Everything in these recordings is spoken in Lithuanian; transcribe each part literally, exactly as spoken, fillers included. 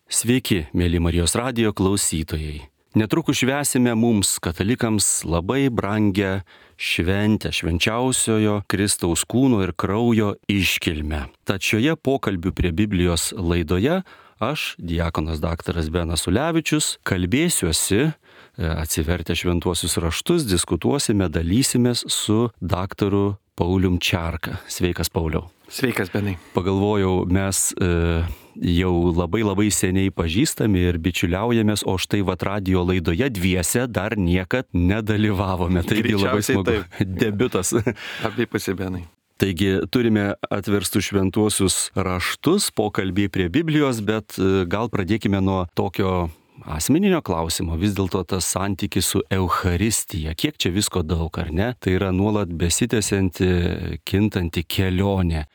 Sveiki, mėly Marijos radijo klausytojai. Netrukus švęsime mums, katalikams, labai brangę šventę, švenčiausiojo Kristaus kūno ir kraujo iškilmę. Tad šioje pokalbių prie Biblijos laidoje aš, diakonas daktaras Benas Ulevičius, kalbėsiuosi, atsivertę šventuosius raštus, diskutuosime, dalysimės su daktaru Paulium Čerka. Sveikas, Pauliau. Sveikas, Benai. Pagalvojau, mes e, jau labai labai seniai pažįstami ir bičiuliaujamės, o štai vat radijo laidoje dviese dar niekad nedalyvavome. Taigi labai smagu. Debiutas. Abipusė, Benai. Taigi turime atverstus šventuosius raštus, pokalbį prie Biblijos, bet gal pradėkime nuo tokio asmeninio klausimo. Vis dėlto tas santykis su Eucharistija, kiek čia visko daug, ar ne? Tai yra nuolat besitęsianti, kintanti kelionė.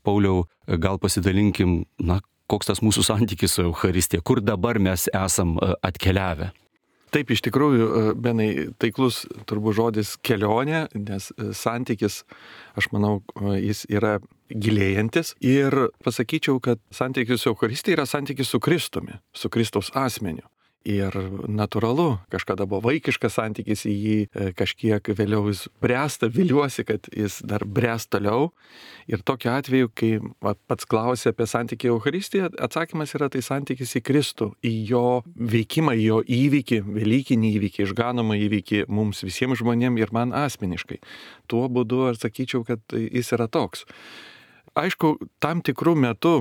Pauliau, gal pasidalinkim, na, koks tas mūsų santykis su Eucharistija, kur dabar mes esam atkeliavę? Taip, iš tikrųjų, Benai, taiklus turbūt žodis kelionė, nes santykis, aš manau, jis yra gilėjantis. Ir pasakyčiau, kad santykis su Eucharistija yra santykis su Kristumi, su Kristaus asmeniu. Ir natūralu, kažkada buvo vaikiškas santykis į jį, kažkiek vėliau jis bręsta, viliuosi, kad jis dar bręs toliau. Ir tokiu atveju, kai pats klausė apie santykį į Eucharistiją, atsakymas yra tai santykis į Kristų, į jo veikimą, į jo įvykį, velykinį įvykį, išganomą įvykį mums visiems žmonėms ir man asmeniškai. Tuo būdu aš sakyčiau, kad jis yra toks. Aišku, tam tikrų metų,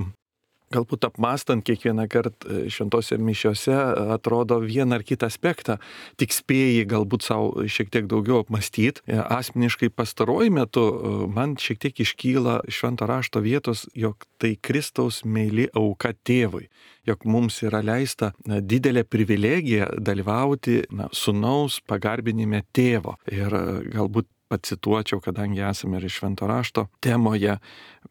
galbūt apmastant kiekvieną kartą šventose mišiose, atrodo vieną ar kitą aspektą, tik spėjai galbūt savo šiek tiek daugiau apmastyti. Asmeniškai pastaruoju metu man šiek tiek iškyla švento rašto vietos, jog tai Kristaus meili auka tėvui, jog mums yra leista na, didelė privilegija dalyvauti na, sūnaus pagarbinime tėvo. Ir galbūt pacituočiau, kadangi esame ir švento rašto temoje,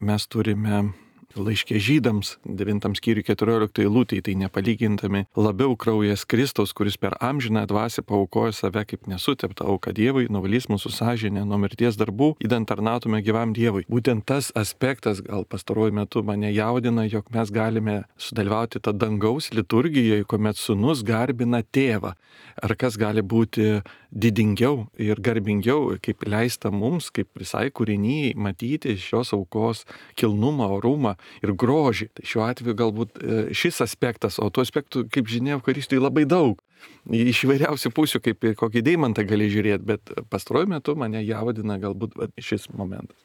mes turime laiške žydams, devintam skyriui keturioliktai eilutei, tai nepalygintami labiau kraujas Kristaus, kuris per amžiną dvasią paaukojo save kaip nesuteptą auką Dievui, nuvalys mūsų sąžinę nuo mirties darbų, idant tarnautume gyvam Dievui. Būtent tas aspektas gal pastaruoju metu mane jaudina, jog mes galime sudalyvauti tą dangaus liturgijoje, kuomet sūnus garbina tėvą. Ar kas gali būti didingiau ir garbingiau, kaip leista mums, kaip visai kūrinyjai, matyti šios aukos kilnumą, orumą ir grožį. Tai šiuo atveju galbūt šis aspektas, o tų aspektų, kaip žinia, Eucharistijoje labai daug. Iš įvairiausių pusių, kaip kokį deimantą gali žiūrėti, bet pastaruoju metu mane jaudina galbūt šis momentas.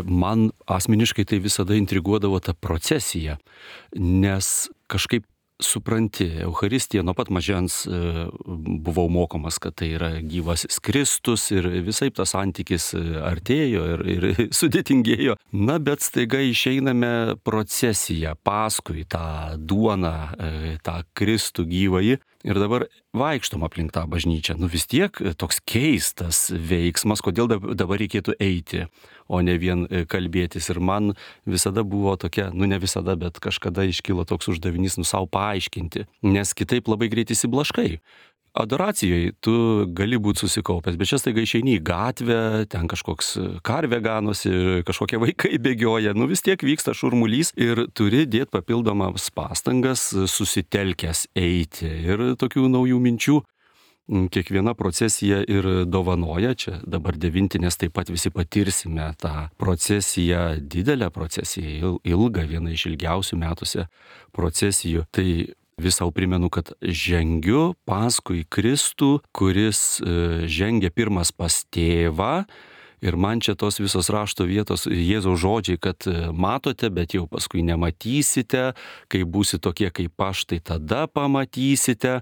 Man asmeniškai tai visada intriguodavo ta procesija, nes kažkaip supranti, Eucharistija nuo pat mažens e, buvau mokomas, kad tai yra gyvasis Kristus ir visai tas santykis artėjo ir, ir sudėtingėjo. Na, bet staiga išeiname procesiją paskui tą duoną, e, tą Kristų gyvąjį ir dabar vaikštom aplink tą bažnyčią. Nu vis tiek toks keistas veiksmas, kodėl dabar reikėtų eiti, o ne vien kalbėtis. Ir man visada buvo tokia, nu ne visada, bet kažkada iškilo toks uždavinys, nu savo paaiškinti, nes kitaip labai greit įsiblaškai. Adoracijoje tu gali būti susikaupęs, bet čia staiga išeini į gatvę, ten kažkoks karvė ganosi, kažkokie vaikai bėgioja, nu vis tiek vyksta šurmulys ir turi dėti papildomas pastangas, susitelkęs eiti ir tokių naujų minčių. Kiekviena procesija ir dovanoja, čia dabar devintinės taip pat visi patirsime tą procesiją, didelę procesiją, ilgą, vieną iš ilgiausių metuose procesijų. Tai vis sau primenu, kad žengiu paskui Kristų, kuris žengia pirmas pas tėvą. Ir man čia tos visos rašto vietos, Jėzaus žodžiai, kad matote, bet jau paskui nematysite, kai būsi tokie kaip aš, tai tada pamatysite.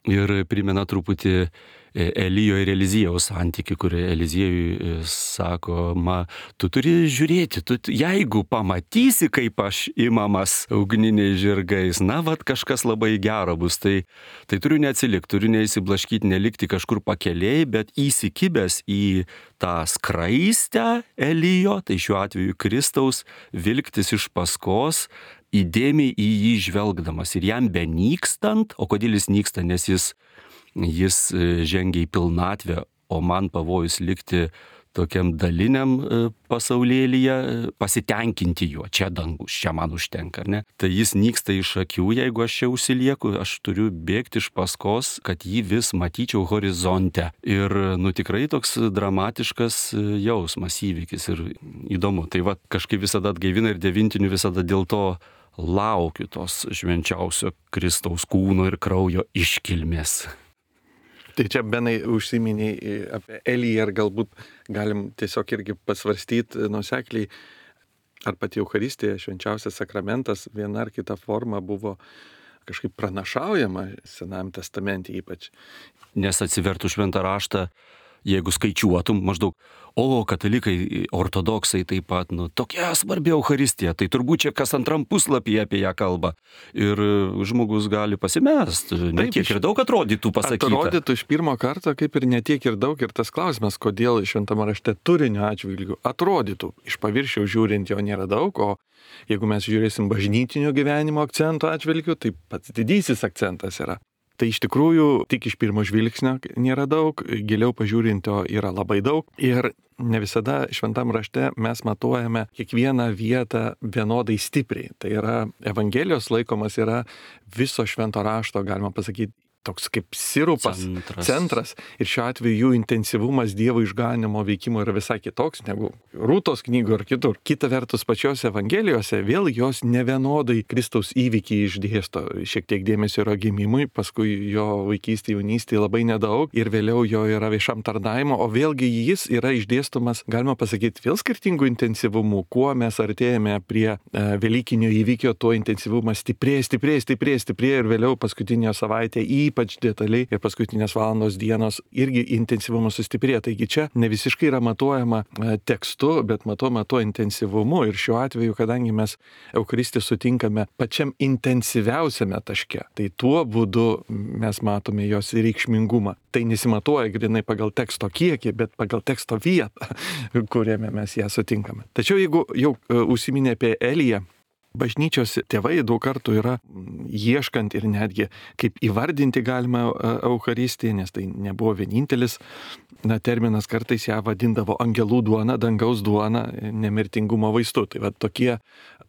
Ir primena truputį Elijo ir Eliziejaus santykį, kur Eliziejui sako, ma, tu turi žiūrėti, tu, jeigu pamatysi, kaip aš imamas ugniniais žirgais, na, vat kažkas labai gero bus, tai, tai turiu neatsilikti, turiu neįsiblaškyti, nelikti kažkur pakeliai, bet įsikibęs į tą skraistę Elijo, tai šiuo atveju Kristaus, vilktis iš paskos, įdėmiai į jį žvelgdamas ir jam benykstant, o kodėl jis nyksta, nes jis, jis žengia į pilnatvę, o man pavojus likti tokiam daliniam pasaulėlyje, pasitenkinti juo, čia dangus, čia man užtenka, ar ne? Tai jis nyksta iš akių, jeigu aš čia užsilieku, aš turiu bėgti iš paskos, kad jį vis matyčiau horizonte. Ir, nu, tikrai toks dramatiškas jausmas, įvykis ir įdomu. Tai va, kažkaip visada atgaivina ir devintinių visada dėl to laukiu tos švenčiausio Kristaus kūno ir kraujo iškilmės. Tai čia, Benai, užsiminiai apie Eliją ir galbūt galim tiesiog irgi pasvarstyti nuosekliai, ar pati Eucharistija, švenčiausias sakramentas, viena ar kita forma buvo kažkaip pranašaujama Senajam testamente ypač. Nes atsivertų šventą raštą, jeigu skaičiuotum maždaug, o katalikai, ortodoksai taip pat, nu, tokia svarbi Eucharistija, tai turbūt čia kas antram puslapyje apie ją kalba. Ir žmogus gali pasimest, ne tiek ir daug atrodytų pasakyta. Atrodytų iš pirmo karto, kaip ir netiek ir daug, ir tas klausimas, kodėl šventame rašte turinio atžvilgių atrodytų. Iš paviršiaus žiūrint jo nėra daug, o jeigu mes žiūrėsim bažnytinio gyvenimo akcento atžvilgių, tai pats didysis akcentas yra. Tai iš tikrųjų tik iš pirmo žvilgsnio nėra daug, giliau pažiūrinto yra labai daug ir ne visada šventam rašte mes matuojame kiekvieną vietą vienodai stipriai. Tai yra Evangelijos laikomas yra viso švento rašto, galima pasakyti, toks kaip sirupas, centras. centras. Ir šiuo atveju jų intensyvumas Dievo išganimo veikimo yra visai kitoks negu Rūtos knygų ar kitur. Kita vertus, pačiose Evangelijose vėl jos nevienodai Kristaus įvykį išdėsto. Šiek tiek dėmesio yra gimimui, paskui jo vaikystė, jaunystė labai nedaug ir vėliau jo yra viešam tarnavimo, o vėlgi jis yra išdėstomas, galima pasakyti, vėl skirtingų intensyvumų. Kuo mes artėjame prie e, Velykinio įvykio, tuo intensyvumas stiprėja, stiprėja, stiprėja, stiprėja ir vėliau paskutinio savaitę ypač detaliai ir paskutinės valandos dienos irgi intensyvumas sustiprėja. Taigi čia ne visiškai yra matuojama tekstu, bet matuojama tuo intensyvumu. Ir šiuo atveju, kadangi mes Eucharistiją sutinkame pačiam intensyviausiame taške, tai tuo būdu mes matome jos reikšmingumą. Tai nesimatuoja grinai pagal teksto kiekį, bet pagal teksto vietą, kuriame mes ją sutinkame. Tačiau jeigu jau užsiminė apie Eliją, bažnyčios tėvai daug kartų yra ieškant ir netgi kaip įvardinti galima Eucharistiją, nes tai nebuvo vienintelis na, terminas, kartais ją vadindavo angelų duona, dangaus duona, nemirtingumo vaistu. Tai va tokie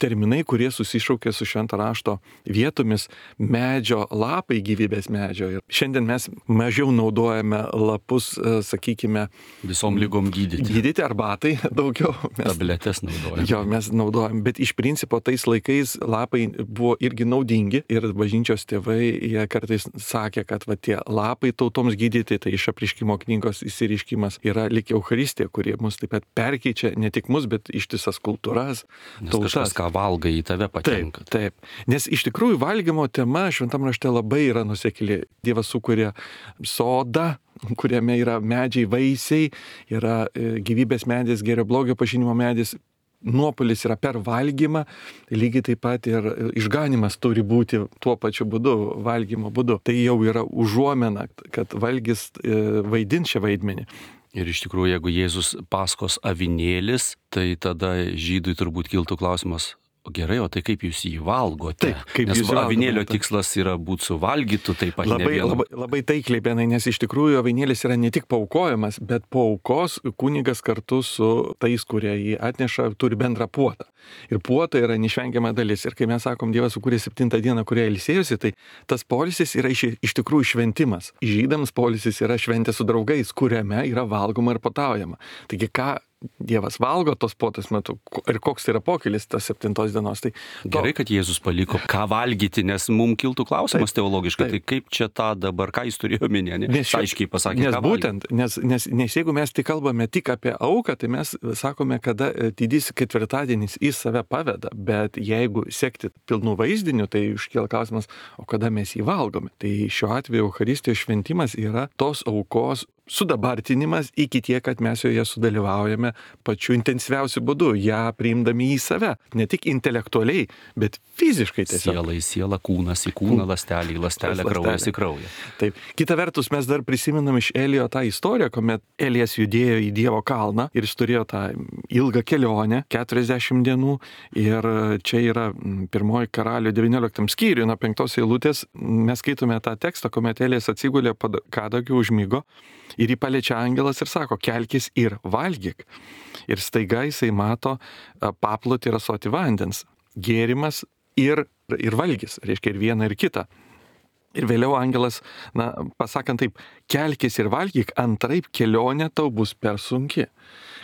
terminai, kurie susišaukia su švento rašto vietomis, medžio lapai, gyvybės medžio. Ir šiandien mes mažiau naudojame lapus, sakykime, visom lygom gydyti. Gydyti arbatai daugiau. Mes, tabletes naudojame. Jo, mes naudojame, bet iš principo tais laikais lapai buvo irgi naudingi ir bažnyčios tėvai, jie kartais sakė, kad va, tie lapai tautoms gydyti, tai iš Apreiškimo knygos įsireiškimas yra lyg Eucharistija, kurie mus taip pat perkeičia, ne tik mus, bet ištisas kultūras, nes tautas. Kažkas, ką valgai, į tave patenka. Taip, taip. Nes iš tikrųjų valgymo tema šventam rašte labai yra nuosekli. Dievas sukuria sodą, kuriame yra medžiai, vaisiai, yra gyvybės medis, gėrio blogio pažinimo medis. Nuopolis yra per valgymą, lygiai taip pat ir išganimas turi būti tuo pačiu būdu, valgymo būdu. Tai jau yra užuomena, kad valgis vaidins šią vaidmenį. Ir iš tikrųjų, jeigu Jėzus Paskos avinėlis, tai tada žydui turbūt kiltų klausimas, gerai, o tai kaip jūs jį valgote? Taip, kaip nes jūs avinėlio valgote. Tikslas yra būti suvalgytų, taip pat labai, labai, labai taikliai, Benai, nes iš tikrųjų avinėlis yra ne tik paaukojamas, bet po aukos kunigas kartu su tais, kurie jį atneša, turi bendrą puotą. Ir puota yra neišvengiama dalis. Ir kai mes sakom, Dievas sukūrė septintą dieną, kurie ilsėjosi, tai tas poilsis yra iš, iš tikrųjų šventimas. Žydams poilsis yra šventė su draugais, kuriame yra valgoma ir pataujama. Taigi ką Dievas valgo tos puotos metu ir koks yra pokylis tos septintos dienos. Tai gerai, kad Jėzus paliko ką valgyti, nes mums kiltų klausimas taip, teologiškai, taip. Tai kaip čia tą dabar, ką jis turėjo omenyje, ne? Nes aiškiai pasakė, nes ką būtent, nes, nes, nes jeigu mes tik kalbame tik apie auką, tai mes sakome, kada didysis ketvirtadienis į save paveda, bet jeigu sekti pilnų vaizdinių, tai iškyla klausimas, o kada mes jį valgome. Tai šiuo atveju Eucharistijos šventimas yra tos aukos sudabartinimas iki tiek, kad mes joje sudalyvaujame pačiu intensyviausiu būdu, ją priimdami į save. Ne tik intelektualiai, bet fiziškai tiesiog. Siela į sielą, kūnas į kūną, lastelį į lastelę, kraujas į kraują. Taip. Kita vertus, mes dar prisimenam iš Elijo tą istoriją, kuomet Elijas judėjo į Dievo kalną ir jis turėjo tą ilgą kelionę, keturiasdešimt dienų. Ir čia yra pirmoji Karalių devynioliktam skyriui, nuo penktos eilutės. Mes skaitome tą tekstą, kuomet Elijas atsigulė kadagiu, užmigo. Ir jį paliečia angelas ir sako, kelkis ir valgyk. Ir staiga jisai mato paplotį ir ąsotį vandens. Gėrimas ir, ir valgys, reiškia ir vieną ir kitą. Ir vėliau angelas, na, pasakant taip, kelkis ir valgyk, antraip kelionė tau bus per sunki.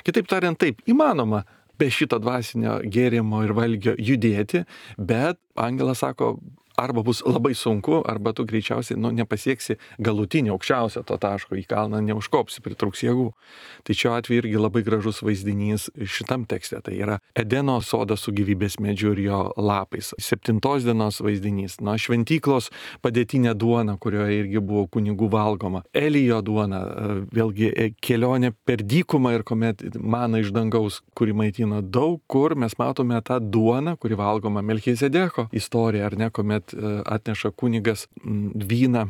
Kitaip tariant, taip, įmanoma be šito dvasinio gėrimo ir valgio judėti, bet angelas sako, arba bus labai sunku, arba tu greičiausiai nu, nepasieksi galutinį aukščiausią to taško, į kalną neužkopsi, pritruks jėgų. Tai šiuo atveju irgi labai gražus vaizdinys šitam tekste. Tai yra Edeno sodas su gyvybės medžiu ir jo lapais. Septintos dienos vaizdinys. Na, šventyklos padėtinė duona, kurioje irgi buvo kunigų valgoma. Elijo duona, vėlgi kelionė per dykumą ir kuomet mana iš dangaus, kuri maitino daug kur, mes matome tą duoną, kuri valgoma Melchizedeko istorija, ar ne, kuomet atneša kunigas vyną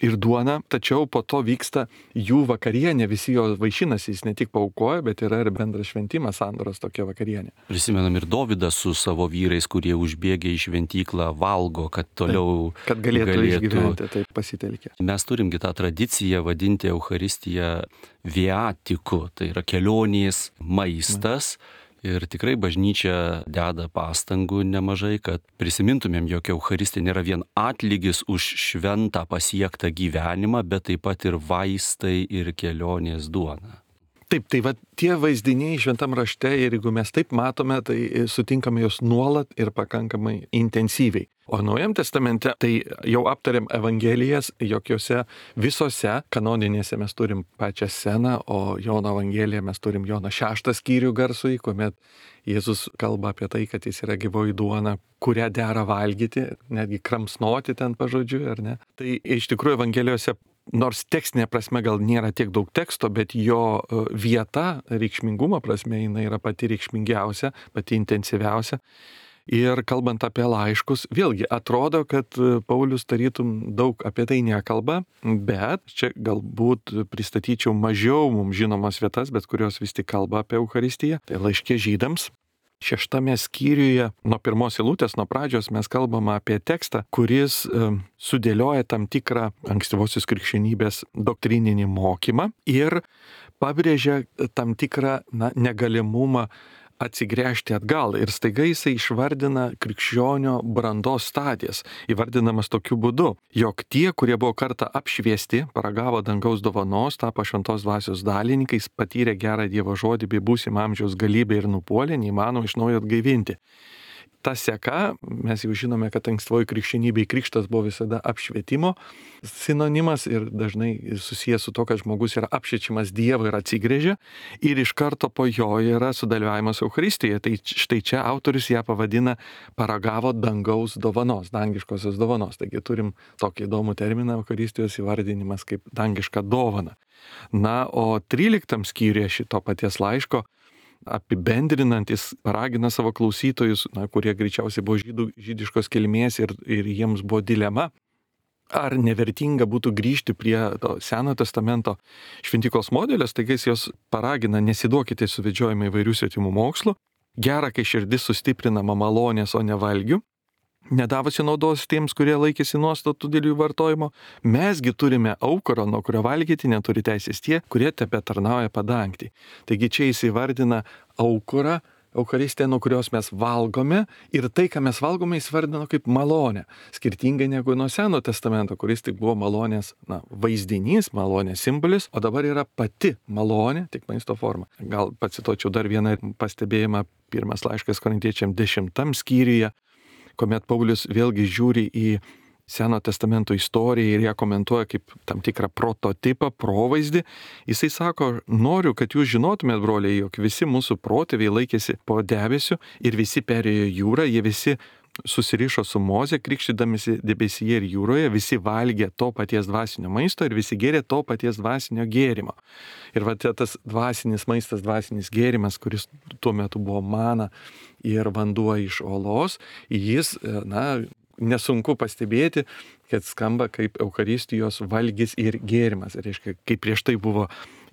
ir duoną, tačiau po to vyksta jų vakarienė, visi jo vaišinasi, jis ne tik paaukoja, bet yra ir bendras šventimas, sandoros tokia vakarienė. Prisimenam ir Dovydą su savo vyrais, kurie užbėgė į šventyklą, valgo, kad toliau taip, kad galėtų, galėtų išgyventi, taip pasitelkė. Mes turimgi tą tradiciją vadinti Eucharistiją viatiku, tai yra kelionės maistas. Ma. Ir tikrai bažnyčia deda pastangų nemažai, kad prisimintumėm, jog Eucharistija nėra vien atlygis už šventą pasiektą gyvenimą, bet taip pat ir vaistai ir kelionės duona. Taip, tai va tie vaizdiniai šventam rašte ir jeigu mes taip matome, tai sutinkame juos nuolat ir pakankamai intensyviai. O Naujam testamente tai jau aptarėm Evangelijas, jokiose visose kanoninėse mes turim pačią sceną, o Jono Evangeliją mes turim Jono šeštą skyrių garsui, kuomet Jėzus kalba apie tai, kad jis yra gyvoji duona, kurią dera valgyti, netgi kramsnoti ten pažodžiui, ar ne. Tai iš tikrųjų Evangelijose, nors tekstinė prasme gal nėra tiek daug teksto, bet jo vieta, reikšmingumo prasme, jinai yra pati reikšmingiausia, pati intensyviausia. Ir kalbant apie laiškus, vėlgi atrodo, kad Paulius tarytum daug apie tai nekalba, bet čia galbūt pristatyčiau mažiau mums žinomas vietas, bet kurios vis tik kalba apie Eucharistiją. Tai laiške žydams. Šeštame skyriuje nuo pirmos eilutės, nuo pradžios mes kalbame apie tekstą, kuris e, sudėlioja tam tikrą ankstyvosios krikščionybės doktrininį mokymą ir pabrėžia tam tikrą na, negalimumą atsigręžti atgal. Ir staiga jisai išvardina krikščionio brandos stadijas, įvardinamas tokiu būdu, jog tie, kurie buvo kartą apšviesti, paragavo dangaus dovanos, tapo šventos dvasios dalininkais, patyrė gerą Dievo žodį bei būsimą amžiaus galybę ir nupuolė, neįmanoma iš naujo atgaivinti. Ta seka, mes jau žinome, kad ankstyvoji krikščionybėje krikštas buvo visada apšvietimo sinonimas ir dažnai susijęs su to, kad žmogus yra apšviečiamas Dievo ir atsigrėžia ir iš karto po jo yra sudalyvavimas Eucharistijoje. Tai štai čia autorius ją pavadina paragavo dangaus dovanos, dangiškosios dovanos. Taigi turim tokį įdomų terminą Eucharistijos įvardinimas kaip dangiška dovana. Na, o tryliktam skyriuje šito paties laiško apibendrinantis paragina savo klausytojus, na, kurie greičiausiai buvo žydų, žydiškos kilmės ir, ir jiems buvo dilema, ar nevertinga būtų grįžti prie to Senojo testamento šventyklos modelio, taigi jos paragina nesiduokite suvedžiojimai įvairių svetimų mokslų, gera, kai širdis sustiprinama malonės, o ne valgių, nedavusi naudos tiems, kurie laikėsi nuostatų dėl jų vartojimo. Mesgi turime aukurą, nuo kurio valgyti neturi teisės tie, kurie tebe tarnauja padangti. Taigi čia jis įvardina aukurą, Eucharistiją, nuo kurios mes valgome ir tai, ką mes valgome, jis vardino kaip malonę. Skirtingai negu nuo Seno testamento, kuris tik buvo malonės na, vaizdinys, malonės simbolis, o dabar yra pati malonė, tik maisto forma. Gal pacituočiau dar vieną pastebėjimą, pirmas laiškas Korintiečiam dešimtam skyriuje, kuomet Paulius vėlgi žiūri į Seno testamento istoriją ir ją komentuoja kaip tam tikrą prototipą, provaizdį. Jisai sako, noriu, kad jūs žinotumėt, broliai, jog visi mūsų protėviai laikėsi po debesiu ir visi perėjo jūrą, jie visi susirišo su Moze, krikštydamisi debesyje ir jūroje, visi valgė to paties dvasinio maisto ir visi gėrė to paties dvasinio gėrimo. Ir va tas dvasinis maistas, dvasinis gėrimas, kuris tuo metu buvo mana ir vanduo iš olos, jis, na, nesunku pastebėti, kad skamba kaip Eucharistijos valgis ir gėrimas. Reiškia, kaip prieš tai buvo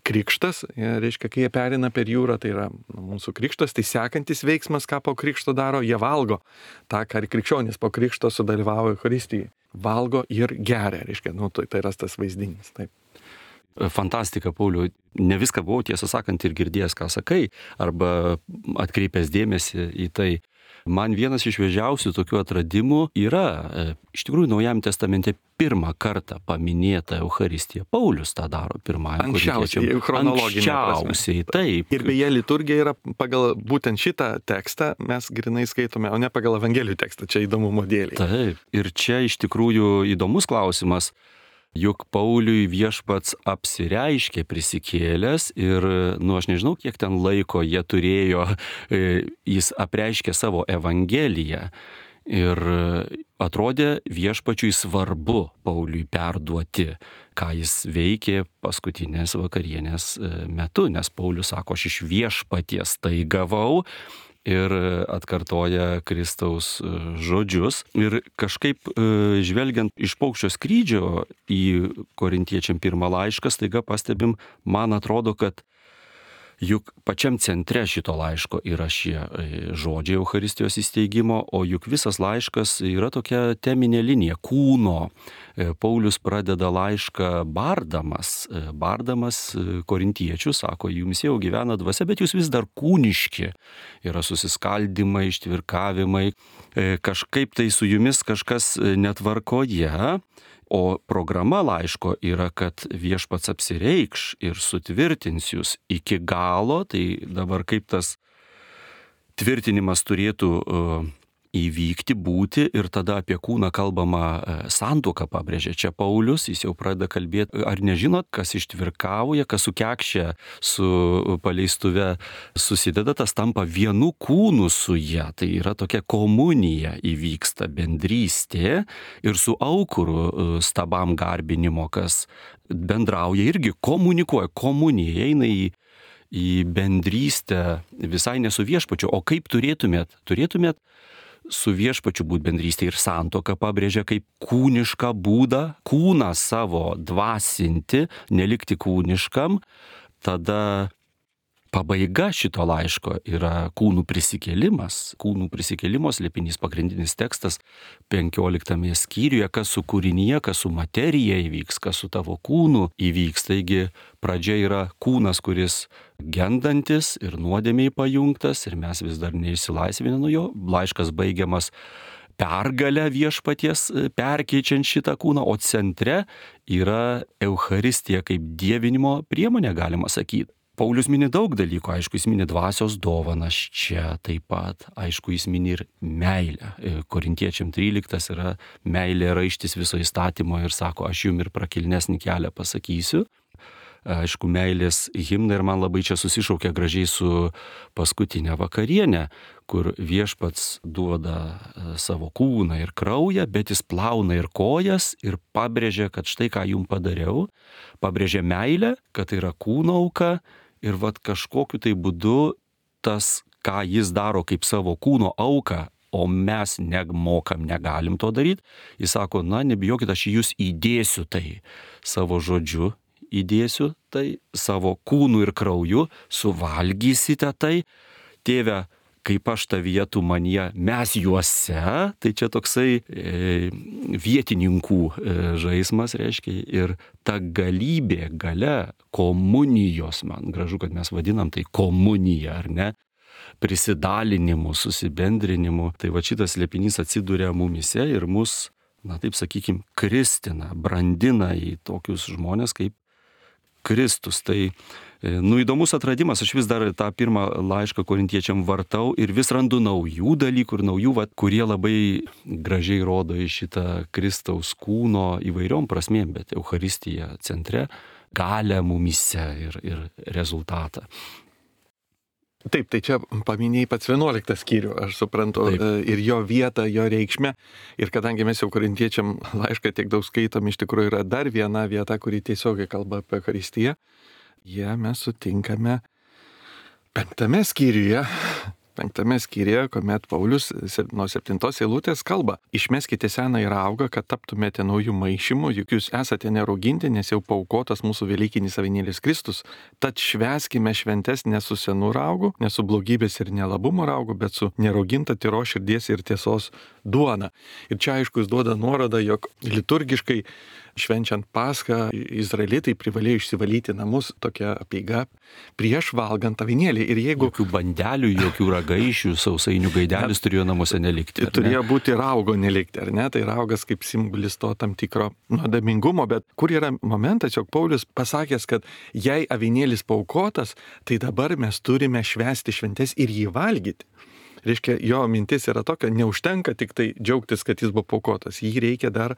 krikštas, reiškia, kai jie perina per jūrą, tai yra mūsų krikštas, tai sekantis veiksmas, ką po krikšto daro, jie valgo. Ta, ką ir krikščionis po krikšto sudalyvavo Eucharistijai. Valgo ir geria, reiškia, nu, tai, tai yra tas vaizdinys. Taip. Fantastika, Pauliau. Ne viską buvau, tiesą sakant, ir girdėjęs, ką sakai, arba atkreipęs dėmesį į tai. Man vienas iš šviežiausių tokių atradimų yra, iš tikrųjų, Naujajame testamente pirmą kartą paminėta Eucharistija. Paulius tą daro pirmąjį. Anksčiausiai, chronologinė prasme. Anksčiausiai, taip. Ir beje, liturgija yra pagal būtent šitą tekstą, mes grinai skaitome, o ne pagal Evangelijų tekstą, čia įdomumo dėlei. Taip, ir čia iš tikrųjų įdomus klausimas. Juk Pauliui viešpats apsireiškė prisikėlęs ir, nu, aš nežinau, kiek ten laiko jie turėjo, jis apreiškė savo Evangeliją. Ir atrodė viešpačiui svarbu Pauliui perduoti, ką jis veikė paskutinės vakarienės metu, nes Paulius sako, aš iš viešpaties tai gavau. Ir atkartoja Kristaus žodžius. Ir kažkaip žvelgiant iš paukščio skrydžio į Korintiečiam pirmą laišką, staiga pastebim, man atrodo, kad juk pačiam centre šito laiško yra šie žodžiai Eucharistijos įsteigimo, o juk visas laiškas yra tokia teminė linija kūno. Paulius pradeda laišką bardamas, bardamas korintiečių, sako, jums jau gyvena dvasia, bet jūs vis dar kūniški. Yra susiskaldimai, ištvirkavimai, kažkaip tai su jumis kažkas netvarkoje. O programa laiško yra, kad viešpats apsireikš ir sutvirtins jūs iki galo, tai dabar kaip tas tvirtinimas turėtų uh, įvykti, būti, ir tada apie kūną kalbama uh, santuoką pabrėžia. Čia Paulius, jis jau pradeda kalbėti, ar nežinot, kas ištvirkauja, kas sukekšia su paleistuve susideda, tas tampa vienu kūnu su ja. Tai yra tokia komunija įvyksta, bendrystė, ir su aukuru uh, stabam garbinimo, kas bendrauja, irgi komunikuoja, komunija eina į į bendrystę visai ne su viešpačiu. O kaip turėtumėt? Turėtumėt su viešpačiu būti bendrystė, ir santuoka pabrėžia kaip kūnišką būdą, kūną savo dvasinti, nelikti kūniškam. Tada pabaiga šito laiško yra kūnų prisikėlimas. Kūnų prisikėlimo slėpinys, pagrindinis tekstas penkioliktame skyriuje, kas su kūrinyje, kas su materija įvyks, kas su tavo kūnu įvyks. Taigi pradžia yra kūnas, kuris gendantis ir nuodėmiai pajungtas, ir mes vis dar neišsilaisvinę nuo jo. Laiškas baigiamas pergalę viešpaties perkeičiant šitą kūną, o centre yra Eucharistija kaip dievinimo priemonė, galima sakyti. Paulius mini daug dalykų, aišku, jis mini dvasios dovanas čia taip pat, aišku, jis mini ir meilę. Korintiečiam tryliktas yra meilė raištis viso įstatymo ir sako, aš jums ir prakilnesnį kelią pasakysiu. Aišku, meilės himna, ir man labai čia susišaukia gražiai su paskutinė vakarienė, kur viešpats duoda savo kūną ir kraują, bet jis plauna ir kojas ir pabrėžia, kad štai ką jums padariau, pabrėžia meilę, kad tai yra kūno auka, ir vat kažkokiu tai būdu tas, ką jis daro kaip savo kūno auką, o mes nemokam, negalim to daryti, jis sako, na, nebijokit, aš į jūs įdėsiu tai savo žodžiu, įdėsiu tai savo kūnu ir krauju, suvalgysite tai, tėve, kaip aš tavyje, tu manyje, mes juose, tai čia toksai e, vietininkų e, žaismas, reiškia, ir ta galybė, galia, komunijos, man gražu, kad mes vadinam tai komunija, ar ne, prisidalinimu, susibendrinimu, tai va šitas slėpinys atsiduria mumise ir mus, na taip sakykim, kristina, brandina į tokius žmonės kaip Kristus. Tai, nu, įdomus atradimas, aš vis dar tą pirmą laišką korintiečiam vartau ir vis randu naujų dalykų ir naujų, va, kurie labai gražiai rodo į šitą Kristaus kūno įvairiom prasmėm, bet Eucharistija centre, galę mumise ir, ir rezultatą. Taip, tai čia paminėjai pats vienuoliktą skyrių, aš suprantu, Taip. Ir jo vietą, jo reikšmę. Ir kadangi mes jau korintiečiam laišką tiek daug skaitom, iš tikrųjų yra dar viena vieta, kuri tiesiogiai kalba apie Eucharistiją. Jie mes sutinkame penktame skyriuje. Penktame skyriuje, kuomet Paulius nuo septintos eilutės kalba. Išmeskite seną ir augą, kad taptumėte naujų maišymų, juk jūs esate nerauginti, nes jau paaukotas mūsų velykinis avinėlis Kristus. Tad švęskime šventes ne su senu raugu, ne su blogybės ir nelabumo raugu, bet su nerauginta tyros širdies ir tiesos duona. Ir čia aišku jis duoda nuorodą, jog liturgiškai švenčiant Paschą izraelitai privalėjo išsivalyti namus, tokia apeiga, prieš valgant avinėlį. Ir jeigu... Jokių bandelių, jokių ragaišių, sausainių gaidelis turėjo namuose nelikti. Turėjo būti raugo nelikti, ar ne? Tai raugas kaip simbolis to tam tikro nuodėmingumo, bet kur yra momentas, jog Paulius pasakęs, kad jei avinėlis paaukotas, tai dabar mes turime švęsti šventes ir jį valgyti. Reiškia, jo mintis yra tokia, neužtenka tik tai džiaugtis, kad jis buvo paukotas, jį reikia dar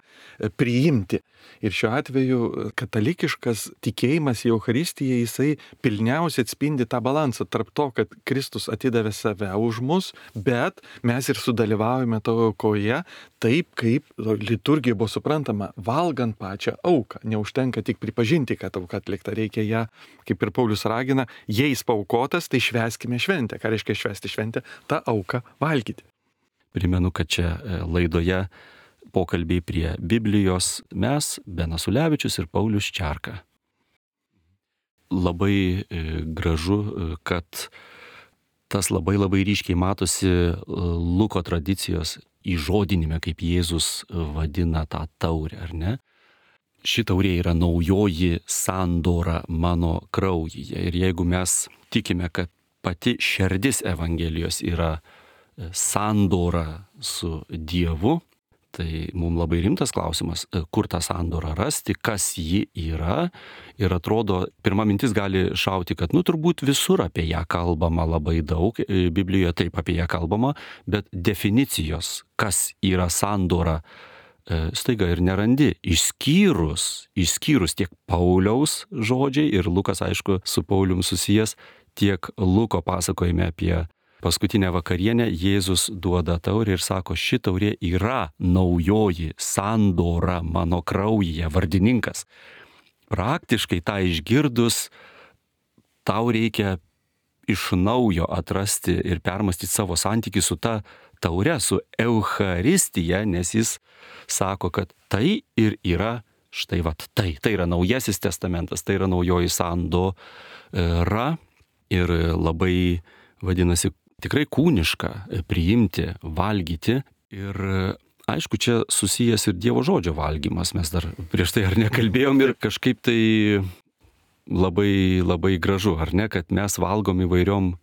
priimti. Ir šiuo atveju katalikiškas tikėjimas į Eucharistiją, jisai pilniausiai atspindi tą balansą tarp to, kad Kristus atidavė save už mus, bet mes ir sudalyvaujame tavo aukoje taip, kaip liturgija buvo suprantama, valgant pačią auką. Neužtenka tik pripažinti, kad auka atlikta, reikia ją, kaip ir Paulius ragina, jei jis paukotas, tai švęskime šventę. Ką reiškia švęsti šventę? Ta auką valgyti. Primenu, kad čia laidoje pokalbiai prie Biblijos mes, Benas Ulevičius ir Paulius Čerka. Labai gražu, kad tas labai labai ryškiai matosi Luko tradicijos įžodinime, kaip Jėzus vadina tą taurę, ar ne? Ši taurė yra naujoji sandora mano kraujyje. Ir jeigu mes tikime, kad pati šerdis Evangelijos yra sandora su Dievu, tai mums labai rimtas klausimas, kur tą sandorą rasti, kas ji yra. Ir atrodo, pirma mintis gali šauti, kad nu turbūt visur apie ją kalbama labai daug, Biblijoje taip apie ją kalbama, bet definicijos, kas yra sandora, staiga ir nerandi, išskyrus, išskyrus tiek Pauliaus žodžiai, ir Lukas aišku su Paulium susijęs, tiek Luko pasakojime apie paskutinę vakarienę, Jėzus duoda taurę ir sako, ši taurė yra naujoji sandora mano kraujyje, vardininkas. Praktiškai tą išgirdus, tau reikia iš naujo atrasti ir permastyti savo santykį su ta taure, su Eucharistija, nes jis sako, kad tai ir yra, štai vat, tai, tai yra naujasis testamentas, tai yra naujoji sandora ir labai, vadinasi, tikrai kūniška priimti, valgyti. Ir aišku, čia susijęs ir Dievo žodžio valgymas, mes dar prieš tai ar nekalbėjom ir kažkaip tai labai, labai gražu, ar ne, kad mes valgom įvairiom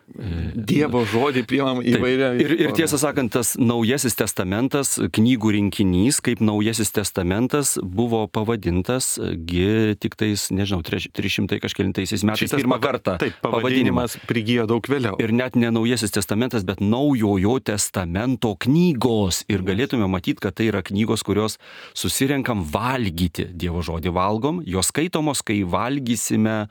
Dievo žodį priimam įvairią. Ir, ir tiesą sakant, tas naujasis testamentas, knygų rinkinys, kaip naujasis testamentas buvo pavadintas, gi tik tais, nežinau, trys šimtai kažkelintaisiais metais Šitas pirmą pava- kartą Taip, pavadinimas prigijo daug vėliau. Ir net ne naujasis testamentas, bet naujojo testamento knygos. Ir galėtume matyti, kad tai yra knygos, kurios susirenkam valgyti. Dievo žodį valgom, jos skaitomos, kai valgysime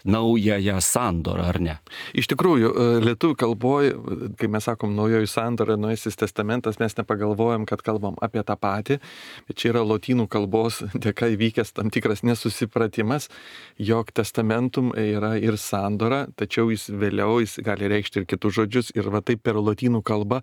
naująją sandorą, ar ne? Iš tikrųjų, lietuvių kalboje, kai mes sakom naujoji sandora, naujasis testamentas, mes nepagalvojam, kad kalbam apie tą patį, bet čia yra lotynų kalbos dėka įvykęs tam tikras nesusipratimas, jog testamentum yra ir sandora, tačiau jis vėliau jis gali reikšti ir kitus žodžius, ir va taip per lotynų kalbą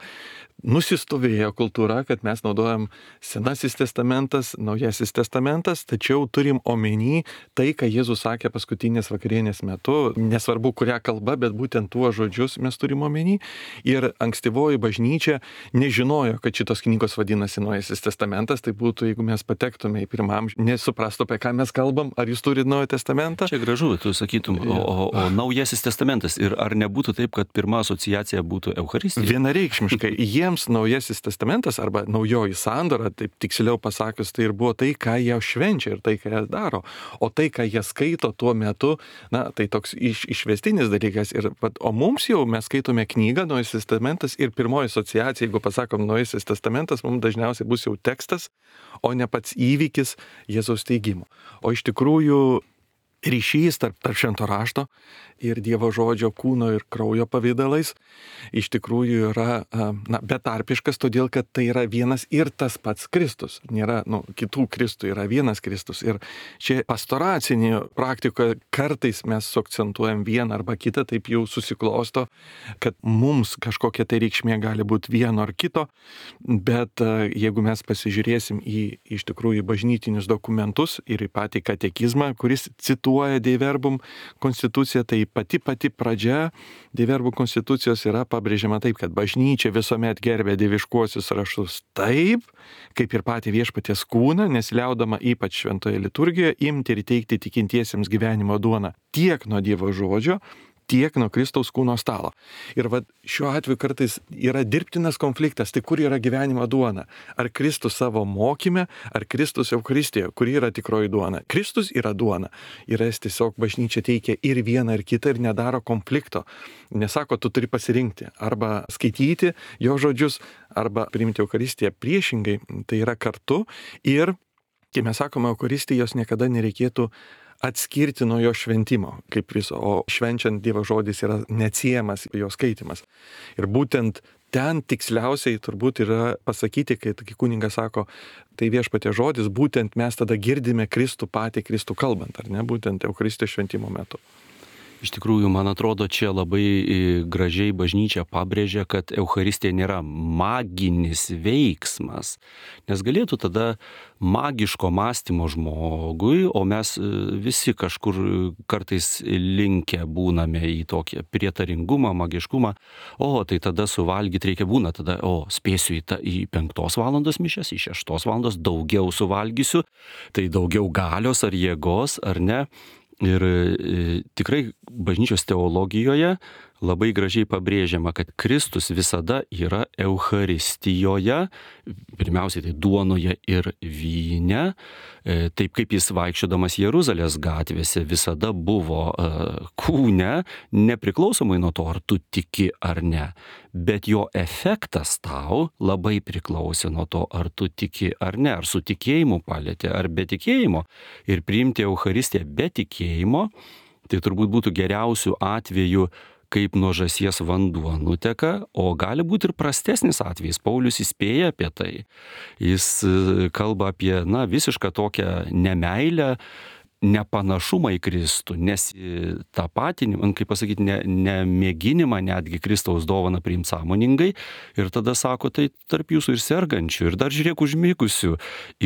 nusistovėjo kultūra, kad mes naudojam senasis testamentas, naujasis testamentas, tačiau turim omeny tai, ką Jėzus sakė paskutinės vakarienės metu, nesvarbu kurią kalbą, bet būtent tuo žodžius mes turim omeny. Ir ankstyvoji bažnyčia nežinojo, kad šitos knygos vadinasi naujasis testamentas, tai būtų, jeigu mes patektume į pirmam, nesuprastų, apie ką mes kalbam, ar jūs turite naują testamentą. Čia gražu, tu sakytum, o, o, o naujasis testamentas. Ir ar nebūtų taip, kad pirma asociacija būtų Eucharistija? Vienareikšmiškai, jiems naujasis testamentas arba naujoji sandora, taip tiksliau pasakius, tai ir buvo tai, ką jie švenčia ir tai, ką jie daro. O tai, ką jie skaito tuo metu, na, tai toks iš, išvestinis dalykas. Ir, o mums jau mes skaitome knygą, naujasis testamentas, ir pirmoji asociacija, jeigu pasakom naujasis testamentas, mums dažniausiai bus jau tekstas, o ne pats įvykis Jėzaus teigimo. O iš tikrųjų ryšys tarp, tarp švento rašto ir Dievo žodžio kūno ir kraujo pavidalais iš tikrųjų yra na, betarpiškas, todėl kad tai yra vienas ir tas pats Kristus. Nėra nu, kitų Kristų, yra vienas Kristus. Ir čia pastoracinėje praktikoje kartais mes suakcentuojam vieną arba kitą, taip jau susiklosto, kad mums kažkokia tai reikšmė gali būti vieno ar kito, bet jeigu mes pasižiūrėsim į iš tikrųjų bažnytinius dokumentus ir į patį katekizmą, kuris cituoja cituoja Dei Verbum konstituciją, tai pati pati pradžia Dei Verbum konstitucijos yra pabrėžiama taip, kad bažnyčia visuomet gerbė dieviškuosius raštus taip, kaip ir patį viešpaties kūną, nesiliaudama ypač šventoje liturgijoje imti ir teikti tikintiesiems gyvenimo duoną tiek nuo Dievo žodžio, tiek nuo Kristaus kūno stalo. Ir va, šiuo atveju kartais yra dirbtinas konfliktas, tai kur yra gyvenimo duona? Ar Kristus savo mokyme, ar Kristus Eucharistijoje, kur yra tikroji duona? Kristus yra duona. Ir jis tiesiog bažnyčia teikia ir vieną, ir kitą ir nedaro konflikto. Nesako, tu turi pasirinkti arba skaityti jo žodžius, arba priimti Eucharistiją. Priešingai, tai yra kartu ir, kai mes sakome Eucharistijos, niekada nereikėtų atskirti nuo jo šventimo, kaip viso, o švenčiant Dievo žodis yra neatsiejamas jo skaitimas. Ir būtent ten tiksliausiai turbūt yra pasakyti, kai kunigas sako, tai viešpatie žodis, būtent mes tada girdime Kristų patį Kristų kalbant, ar ne, būtent Eucharistijos šventimo metu. Iš tikrųjų, man atrodo, čia labai gražiai bažnyčia pabrėžia, kad Eucharistija nėra maginis veiksmas, nes galėtų tada magiško mąstymo žmogui, o mes visi kažkur kartais linkę būname į tokį prietaringumą, magiškumą, o tai tada suvalgyti reikia būna, tada, o spėsiu į, ta, į penktos valandos mišias, į šeštos valandos daugiau suvalgysiu, tai daugiau galios ar jėgos, ar ne. Ir e, tikrai bažnyčios teologijoje labai gražiai pabrėžiama, kad Kristus visada yra Eucharistijoje, pirmiausiai tai duonoje ir vyne, e, taip kaip jis vaikščiodamas Jeruzalės gatvėse visada buvo e, kūne, nepriklausomai nuo to, ar tu tiki ar ne. Bet jo efektas tau labai priklausė nuo to, ar tu tiki ar ne, ar su tikėjimu palėtė, ar be tikėjimo. Ir priimti Eucharistiją be tikėjimo, tai turbūt būtų geriausių atvejų, kaip nuo žąsies vanduo nuteka, o gali būti ir prastesnis atvejis. Paulius įspėja apie tai. Jis kalba apie, na, visišką tokią nemeilę, nepanašumą į Kristų, nes tą patį, kaip pasakyti, ne, nemėginimą netgi Kristaus dovaną priimti sąmoningai ir tada sako, tai tarp jūsų ir sergančių, ir dar žiūrėk užmykusių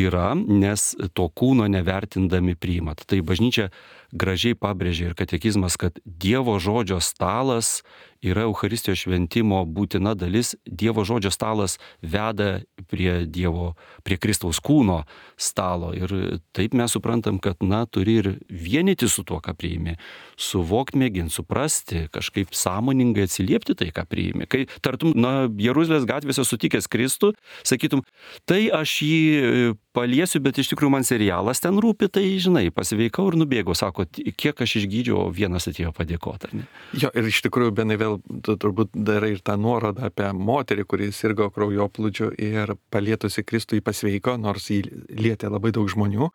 yra, nes to kūno nevertindami priimat. Tai bažnyčia gražiai pabrėžia ir katekizmas, kad Dievo žodžio stalas yra Eucharistijos šventimo būtina dalis. Dievo žodžio stalas veda prie Dievo, prie Kristaus kūno stalo. Ir taip mes suprantam, kad, na, turi ir vienyti su tuo, ką priimi. Suvokti, mėginti, suprasti, kažkaip sąmoningai atsiliepti tai, ką priimi. Kai tartum, na, Jeruzalės gatvėse sutikęs Kristų, sakytum, tai aš jį paliesiu, bet iš tikrųjų man serialas ten rūpi, tai, žinai, pasveikau ir nubėgau. Sako, kiek aš išgydžiau, vienas atėjo padėkoti, ar ne? Jo, ir iš tikrųjų, Benai, vėl tu turbūt darai ir tą nuorodą apie moterį, kuri sirgo kraujoplūdžiu ir palietusi Kristų jį pasveiko, nors jį lietė labai daug žmonių.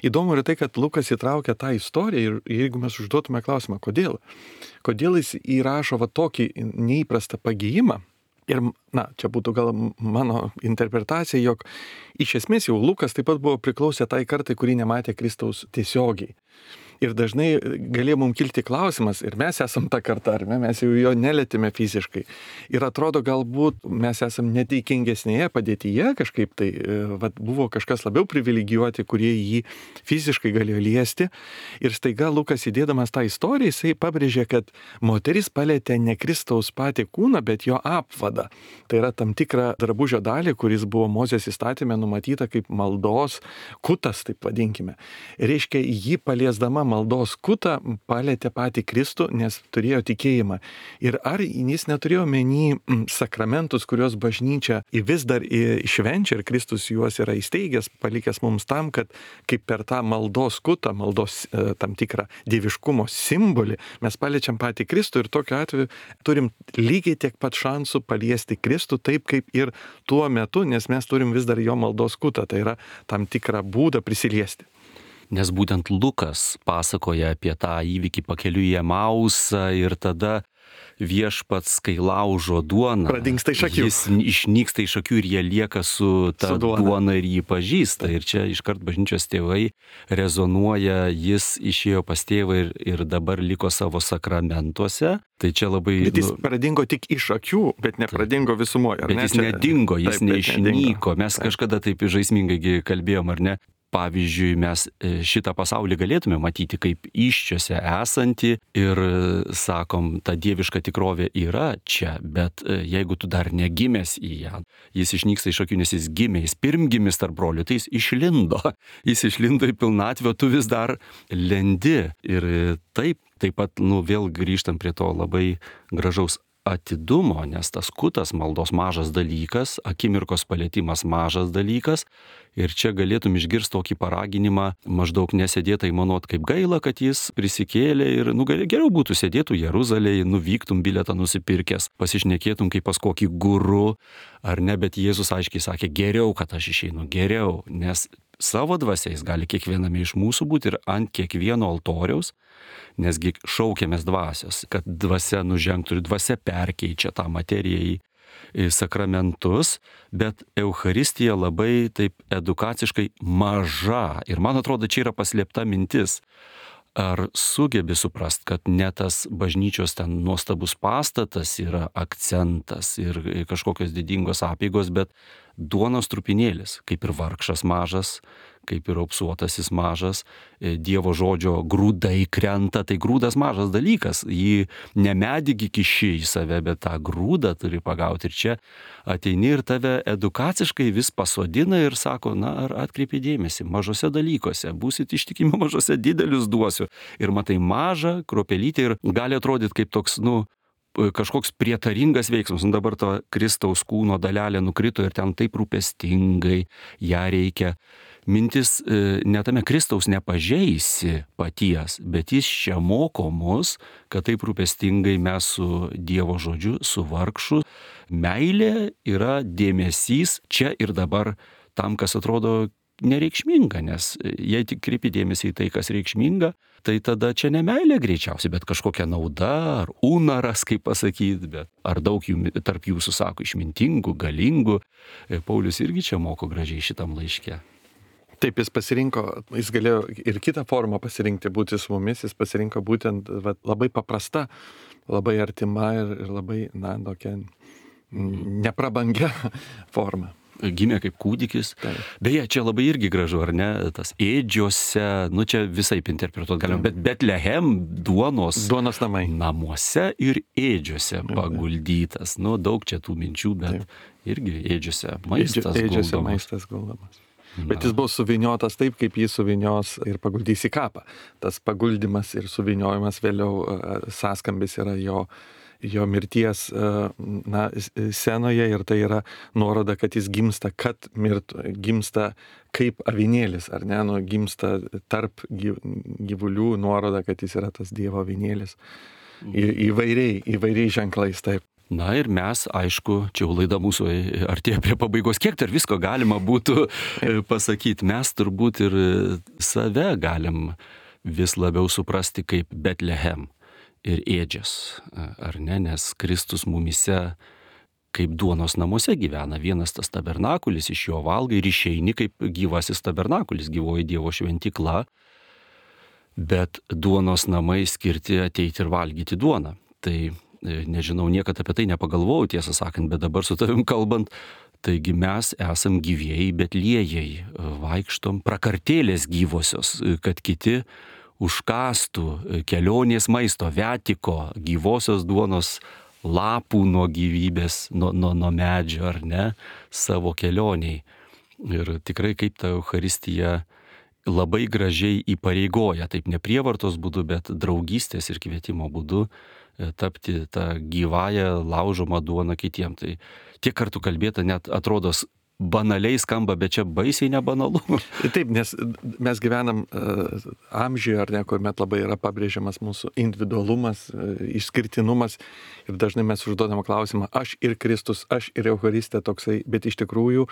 Įdomu yra tai, kad Lukas įtraukia tą istoriją ir jeigu mes užduotume klausimą, kodėl? Kodėl jis įrašo va tokį neįprastą pagijimą? Ir, na, čia būtų gal mano interpretacija, jog iš esmės jau Lukas taip pat buvo priklausę tai kartai, kurį nematė Kristaus tiesiogiai. Ir dažnai galėjo mums kilti klausimas, ir mes esam ta karta, ar ne, mes jau jo nelėtime fiziškai. Ir atrodo, galbūt mes esam neteikingesnėje padėtyje kažkaip, tai vat, buvo kažkas labiau privilegijuoti, kurie jį fiziškai galėjo liesti. Ir staiga Lukas įdėdamas tą istoriją, jisai pabrėžė, kad moteris palėtė ne Kristaus patį kūną, bet jo apvadą. Tai yra tam tikra drabužio dalį, kuris buvo Mozės įstatyme numatyta kaip maldos kutas, taip vadinkime. Reiškia, jį paliesdama maldos kutą palėtė patį Kristų, nes turėjo tikėjimą. Ir ar jis neturėjo menį sakramentus, kuriuos bažnyčia vis dar švenčia ir Kristus juos yra įsteigęs, palikęs mums tam, kad kaip per tą maldos kutą, maldos tam tikrą dieviškumo simbolį, mes paliečiam patį Kristų ir tokiu atveju turim lygiai tiek pat šansų paliesti Kristų, taip kaip ir tuo metu, nes mes turim vis dar jo maldos kutą, tai yra tam tikrą būdą prisiliesti. Nes būtent Lukas pasakoja apie tą įvykį pakeliui į Emausą ir tada viešpats, kai laužo duoną, pradingsta iš akių. Jis išnyksta iš akių ir jie lieka su ta su duona. duona ir jį pažįsta. Ir čia iškart bažnyčios tėvai rezonuoja, jis išėjo pas tėvą ir, ir dabar liko savo sakramentuose. Tai čia labai... Bet jis nu, pradingo tik iš akių, bet nepradingo visumoje. Bet ne? jis čia... nedingo, jis taip, neišnyko. Mes taip. kažkada taip žaismingai kalbėjom, ar ne? pavyzdžiui, mes šitą pasaulį galėtume matyti kaip iščiose esantį ir sakom, ta dieviška tikrovė yra čia, bet jeigu tu dar negimęs į ją, jis išnyksta iš akių, nes jis gimė, jis pirmgimis tarp brolių, tai jis išlindo, jis išlindo į pilnatvę, tu vis dar lendi. Ir taip, taip pat, nu, vėl grįžtam prie to labai gražaus atidumo, nes tas kutas maldos mažas dalykas, akimirkos palėtimas mažas dalykas, ir čia galėtum išgirsti tokį paraginimą, maždaug nesėdėtai manot, kaip gaila, kad jis prisikėlė ir, nu, geriau būtų sėdėtų Jeruzalėje, nuvyktum bilietą nusipirkęs, pasišnekėtum kaip pas kokį guru, ar ne, bet Jėzus aiškiai sakė, geriau, kad aš išeinu, geriau, nes savo dvasiais gali kiekviename iš mūsų būti ir ant kiekvieno altoriaus, nesgi šaukiamės dvasios, kad dvasia nužengtų ir dvasia perkeičia tą materiją į sakramentus, bet Eucharistija labai taip edukaciškai maža. Ir man atrodo, čia yra paslėpta mintis. Ar sugebi suprast, kad ne tas bažnyčios ten nuostabus pastatas yra akcentas ir kažkokios didingos apeigos, bet duonos trupinėlis, kaip ir vargšas mažas, kaip ir aupsuotasis mažas, Dievo žodžio grūdai krenta, tai grūdas mažas dalykas, jį ne medį kiši į save, bet tą grūdą turi pagauti. Ir čia ateini ir tave edukaciškai vis pasodina ir sako, na, ar atkreipi dėmesį, mažose dalykuose, būsit ištikimi mažose, didelius duosiu. Ir matai mažą kruopelytę ir gali atrodyti kaip toks, nu, kažkoks prietaringas veiksmas. Nu, dabar to Kristaus kūno dalelė nukrito ir ten taip rūpestingai ją reikia. Mintis ne tame, Kristaus nepažeisi paties, bet jis čia moko mus, kad taip rūpestingai mes su Dievo žodžiu, su vargšu. Meilė yra dėmesys čia ir dabar tam, kas atrodo nereikšminga, nes jei tik kreipi dėmesį į tai, kas reikšminga, tai tada čia ne meilė greičiausiai, bet kažkokia nauda, ar unaras, kaip pasakyti, bet ar daug jų tarp jūsų sako išmintingų, galingų. Paulius irgi čia moko gražiai šitam laiške. Taip, jis pasirinko, jis galėjo ir kitą formą pasirinkti, būti su mumis, jis pasirinko būtent va, labai paprasta, labai artima ir, ir labai, na, tokia neprabangia forma. Gimė kaip kūdikis. Taip. Beje, čia labai irgi gražu, ar ne, tas ėdžiose, nu čia visaip interpretuoti galima, bet Betlehem duonos, duonos namai. Namuose ir ėdžiose paguldytas. Nu, daug čia tų minčių, bet Taip. Irgi ėdžiose maistas Ėdžiose guldomas. maistas guldomas. Bet jis buvo suviniotas taip, kaip jį suvinios ir paguldys į kapą. Tas paguldymas ir suviniojimas vėliau sąskambis yra jo, jo mirties na, scenoje ir tai yra nuoroda, kad jis gimsta, kad mirtų, gimsta kaip avinėlis, ar ne, nu, gimsta tarp gyvulių, nuoroda, kad jis yra tas Dievo avinėlis. Į, įvairiai, įvairiai ženklais taip. Na ir mes, aišku, čia jau laida mūsų artėja prie pabaigos, kiek dar visko galima būtų pasakyti. Mes turbūt ir save galim vis labiau suprasti kaip Betlehem ir ėdžias, ar ne, nes Kristus mumise kaip duonos namuose gyvena. Vienas tas tabernakulis, iš jo valgai ir išeini kaip gyvasis tabernakulis, gyvoji Dievo šventykla, bet duonos namai skirti ateiti ir valgyti duoną. Tai nežinau, niekada apie tai nepagalvojau, tiesą sakant, bet dabar su tavim kalbant, taigi mes esam gyvieji betliejai, vaikštom prakartėlės gyvosios, kad kiti užkastų kelionės maisto, viatiko, gyvosios duonos lapų nuo gyvybės, nuo, nuo, nuo medžio, ar ne, savo kelioniai. Ir tikrai kaip ta Eucharistija labai gražiai įpareigoja, taip ne prievartos būdu, bet draugystės ir kvietimo būdu tapti tą gyvąją laužomą duoną kitiem. Tai tiek kartų kalbėta, net atrodo banaliai skamba, bet čia baisiai nebanalu. Taip, nes mes gyvenam uh, amžiuje, ar ne, kuomet labai yra pabrėžiamas mūsų individualumas, uh, išskirtinumas ir dažnai mes užduodam klausimą, aš ir Kristus, aš ir Eucharistija toksai, bet iš tikrųjų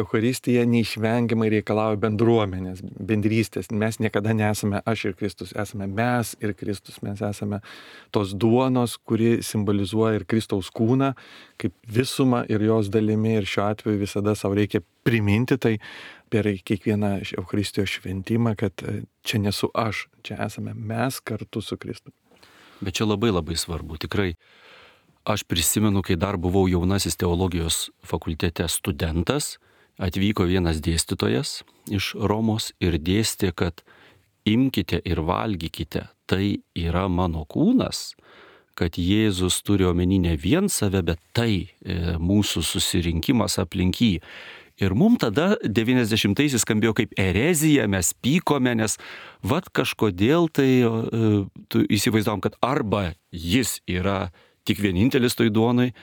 Eucharistija neišvengiamai reikalauja bendruomenės, bendrystės. Mes niekada nesame aš ir Kristus, esame mes ir Kristus, mes esame tos duonos, kuri simbolizuoja ir Kristaus kūną, kaip visumą ir jos dalimi ir šiuo atveju visada savo reikia priminti tai per kiekvieną Eucharistijos šventimą, kad čia nesu aš, čia esame mes kartu su Kristumi. Bet čia labai labai svarbu, tikrai. Aš prisimenu, kai dar buvau jaunasis teologijos fakultete studentas atvyko vienas dėstytojas iš Romos ir dėstė, kad imkite ir valgykite, tai yra mano kūnas, kad Jėzus turi omeny ne vien save, bet tai e, mūsų susirinkimas aplink jį. Ir mums tada devyniasdešimtaisiais skambėjo kaip erezija, mes pykome, nes vat kažkodėl tai e, tu įsivaizdavom, kad arba jis yra tik vienintelis toj duonai,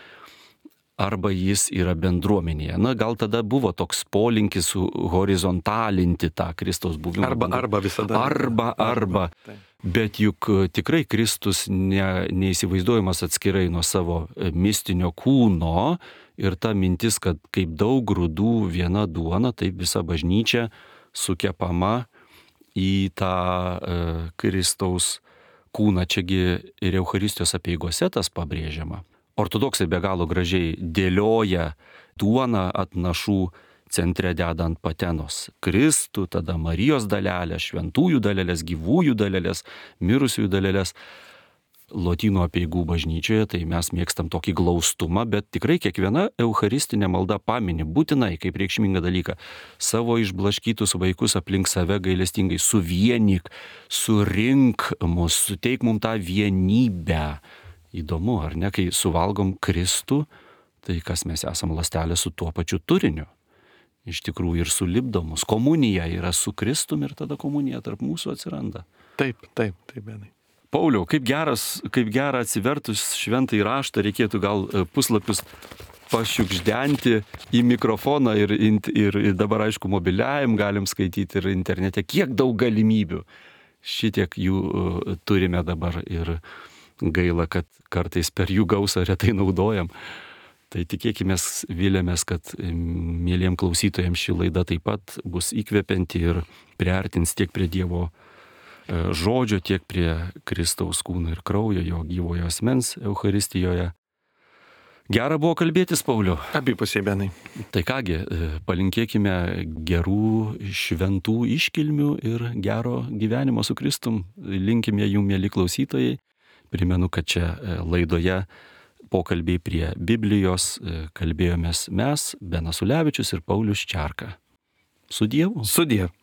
arba jis yra bendruomenėje. Na, gal tada buvo toks polinkis horizontalinti tą Kristaus buvimą. Arba, arba visada. Arba, arba. arba. Bet juk tikrai Kristus ne, neįsivaizduojamas atskirai nuo savo mistinio kūno ir ta mintis, kad kaip daug grūdų viena duona, taip visa bažnyčia sukepama į tą e, Kristaus kūną. Čiagi ir Eucharistijos apeigose tas pabrėžiama. Ortodoksai be galo gražiai dėlioja duoną atnašų centre dedant patenos Kristų, tada Marijos dalelę, šventųjų dalelės, gyvųjų dalelės, mirusiųjų dalelės. Lotynų apeigų bažnyčioje tai mes mėgstam tokį glaustumą, bet tikrai kiekviena eucharistinė malda pamini būtinai kaip reikšmingą dalyką savo išblaškytus vaikus aplink save gailestingai suvienyk, surink mus, suteik mums tą vienybę. Įdomu, ar ne, kai suvalgom Kristų, tai kas mes esam ląstelė su tuo pačiu turiniu. Iš tikrųjų ir sulipdomus. Komunija yra su Kristum ir tada komunija tarp mūsų atsiranda. Taip, taip, taip, Benai. Pauliau, kaip geras, kaip gera atsivertus šventąjį raštą, reikėtų gal puslapius pašiukšdenti į mikrofoną ir, ir, ir dabar aišku mobiliajam galim skaityti ir internete. Kiek daug galimybių. Šitiek jų turime dabar ir gaila, kad kartais per jų gausą retai naudojam. Tai tikėkime, vilėmės, kad mėliem klausytojams ši laida taip pat bus įkvepianti ir priartins tiek prie Dievo žodžio, tiek prie Kristaus kūno ir kraujo, jo gyvojo asmens Eucharistijoje. Gera buvo kalbėtis, Pauliau. Abipusiai, Benai. Tai kągi, palinkėkime gerų šventų iškilmių ir gero gyvenimo su Kristum. Linkime jum, mėly klausytojai. Primenu, kad čia laidoje pokalbiai prie Biblijos kalbėjomės mes, Benas Ulevičius ir Paulius Čerka. Su Dievu. Su Dievu.